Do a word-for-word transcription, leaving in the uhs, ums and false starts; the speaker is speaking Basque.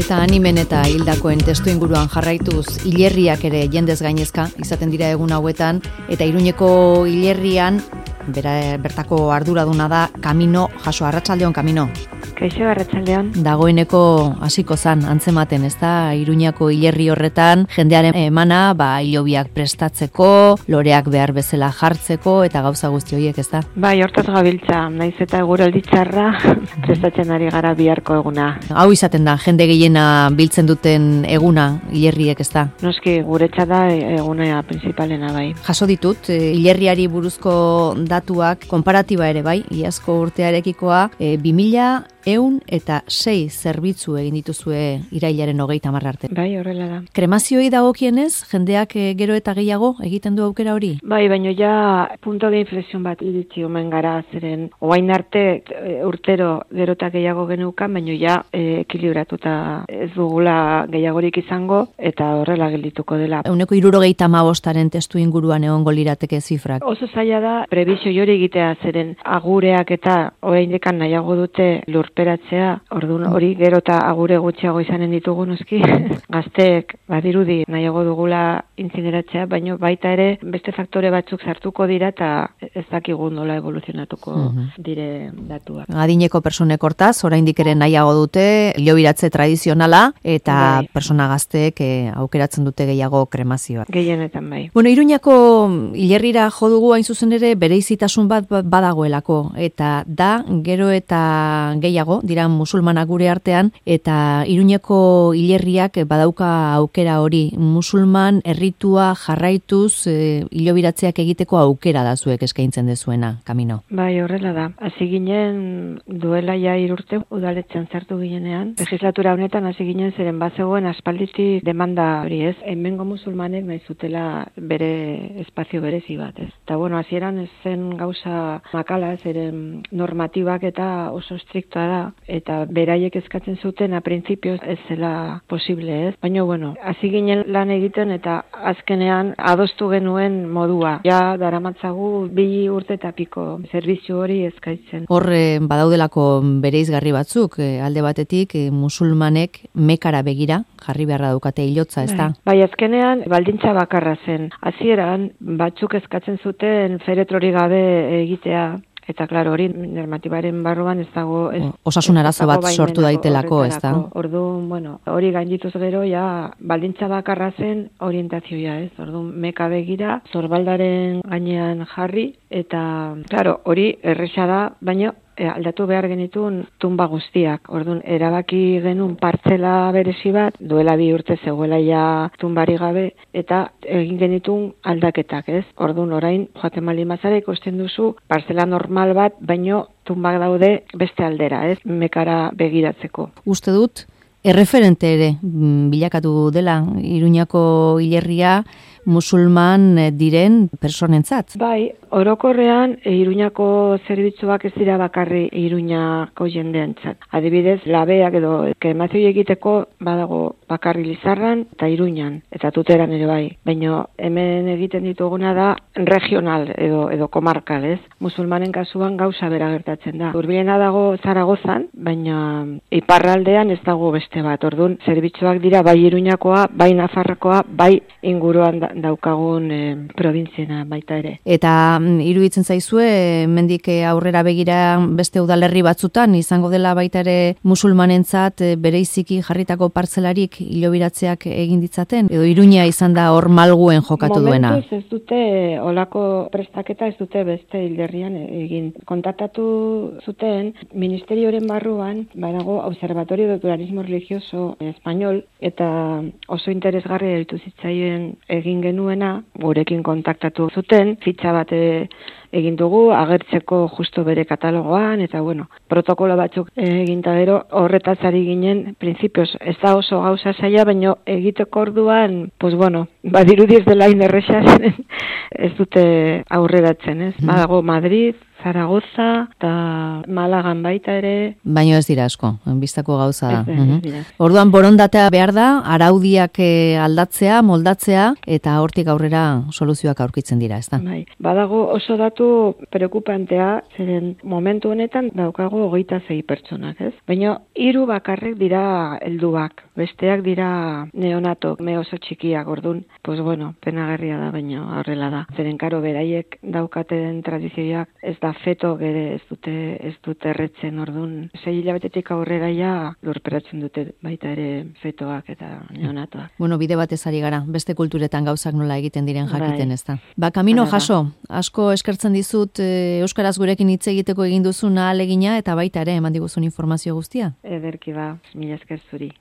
Eta animen eta hildakoen testu inguruan jarraituz, hilerriak ere jendez gainezka izaten dira egun hauetan, eta Iruñeko hilerrian bera, bertako arduraduna da Kamino jaso. Arratsaldeon, Kamino. Kaixo, arratsaldeon. Dagoeneko hasiko zan antzematen, ez da, Iruñako hilerri horretan jendearen emana, ba, hilobiak prestatzeko, loreak behar bezala jartzeko eta gauza guzti horiek, ez da? Bai, hortaz gabiltza, naiz eta eguraldi txarra prestatzen ari gara biharko eguna. Hau izaten da, jende gehiena biltzen duten eguna hilerriek, ez da? Noski, guretza da egunea principalena bai. Jaso ditut, e, hilerriari buruzko datuak, konparatiba ere bai, iazko urtearekikoa, e, bi mila eun eta sei zerbitzu egin dituzue irailaren hogeita hamar arte. Bai, horrela da. Kremazioi dagokienez, jendeak e, gero eta gehiago egiten du aukera hori? Bai, baino ja punto de inflexión bat iritsi omen gara, zeren orain arte e, urtero gero eta gehiago genukan, baino ja e, ekilibratuta ez dugula gehiagorik izango eta horrela geldituko dela. Ehuneko hirurogeita hamabostaren testu inguruan egongo lirateke zifrak. Oso zaila da prebizio hori egitea, zeren agureak eta oraindekan nahiago dute lurperatzea, orduan hori gero eta agure gutxiago izanen ditugu noski. Gazteek badirudi nahiago dugula incineratzea, baino baita ere beste faktore batzuk sartuko dira eta ez dakigu nola evoluzionatuko uh-huh. dire datuak. Adineko personek hortaz, oraindik ere nahiago dute hilobiratze tradizionala eta bai. Persona gazteek eh, aukeratzen dute gehiago kremazioa. Gehienetan bai. Bueno, Iruñako hilerrira jo dugu hain zuzen ere bereizitasun bat badagoelako eta da gero eta gehiago dira musulmanak gure artean eta Iruñeko hilerriak badauka aukera hori musulman erritua jarraituz e, hilobiratzeak egiteko aukera da zuek eskaintzen dezuena, Kamino. Bai, horrela da. Hasi ginen duela ja hiru urte udaletxean sartu ginenean. Legislatura honetan hasi ginen zeren bazegoen aspalditik demanda hori, ez? Hemengo musulmanek nahi zutela bere espazio berezi bat, ez? Eta bueno, hasieran ez zen gauza makala, zeren normatibak eta oso estriktoa da eta beraiek eskatzen zuten a printzipioz ez zela posible, ez? Baina bueno, hasi ginen lan egiten eta azkenean adostu genuen modua. Ja daramatzagu bi urte eta piko zerbitzu hori eskaintzen. Hor badaudelako bereizgarri batzuk, e, alde batetik e, musulmanek Mekara begira jarri beharra daukate hilotza, ez da? Bai, azkenean baldintza bakarra zen. Hasieran batzuk eskatzen zuten feretrori gabe egitea. Eta, klaro, hori normatibaren barruan ez dago... Ez, Osasun arazo bat sortu daitelako, ez da? Orduan, bueno, hori gaindituz gero, ja, baldintza bakarra zen orientazioa, ez? Orduan, Meka begira, zorbaldaren gainean jarri, eta, klaro, hori erresa da, baina aldatu behar genitun tumba guztiak. Orduan, erabaki genuen partzela berezi bat, duela bi urte zegoela ja tumbari gabe, eta egin genitun aldaketak, ez? Orduan, orain, joaten mali mazara ikusten duzu, partzela normal bat, baino tumbak daude beste aldera, ez? Mekara begiratzeko. Uste dut, erreferente ere bilakatu dela Iruñako hilerria musulman diren personentzat. Bai, orokorrean Iruñako zerbitzuak ez dira bakarri Iruñako jendeentzat. Adibidez, labeak edo kremazio egiteko badago bakarri Lizarran eta Iruñan eta Tuteran ere bai. Baina hemen egiten dituguna da regional edo edo komarkal, ez? Musulmanen kasuan gauza bera gertatzen da. Hurbilena dago Zaragozan, baina iparraldean ez dago beste bat. Orduan, zerbitzuak dira bai Iruñakoa, bai Nafarrokoa, bai inguruan da, daukagun e, probintziena baita ere. Eta mm, iruditzen zaizue, mendik aurrera begira beste udalerri batzutan, izango dela baita ere musulmanentzat e, bereiziki jarritako partzelarik hilobiratzeak egin ditzaten? Edo Iruña izan da hor malguen jokatu duena? Momentuz ez dute, olako prestaketa ez dute beste hilerrian egin. Kontaktatu zuten, ministerioren barruan, badago Observatorio de Pluralismo Religioso Español, eta oso interesgarri deitu zitzaien egin genuena, gurekin kontaktatu zuten, fitxa bat egin dugu, agertzeko justo bere katalogoan, eta bueno, protokolo batzuk eginta gero, horretaz ari ginen, printzipioz, ez da oso gauza zaila, baina egiteko orduan, pues bueno, badirudi ez dela inerrexaz, ez dute aurreratzen, ez? Badago Madrid, Zaragoza eta Malagan baita ere. Baino ez dira asko, bistako gauza da. Ez, ez dira. Orduan borondatea behar da, araudiak aldatzea, moldatzea, eta hortik aurrera soluzioak aurkitzen dira, ez da? Bai. Badago oso datu preokupantea, zeren momentu honetan daukago hogeita sei pertsonak, ez? Baina hiru bakarrek dira helduak, besteak dira neonatok, me oso txikiak, ordun, pues bueno, penagarria da, baina horrela da. Zeren karo beraiek daukaten tradizioak ez da feto gere ez dute ez dute erretzen, ordun, sei hilabetetik aurrera ja lurperatzen dute baita ere fetoak eta neonatoak. Bueno, bide batez ari gara, beste kulturetan gauzak nola egiten diren jakiten, Bai. ez da. Ba, Camino Hala da. jaso, asko eskertzen dizut e, Euskaraz gurekin hitz egiteko egin duzun ahalegina eta baita ere eman diguzun informazio guztia. Ederki ba, mila esker zuri.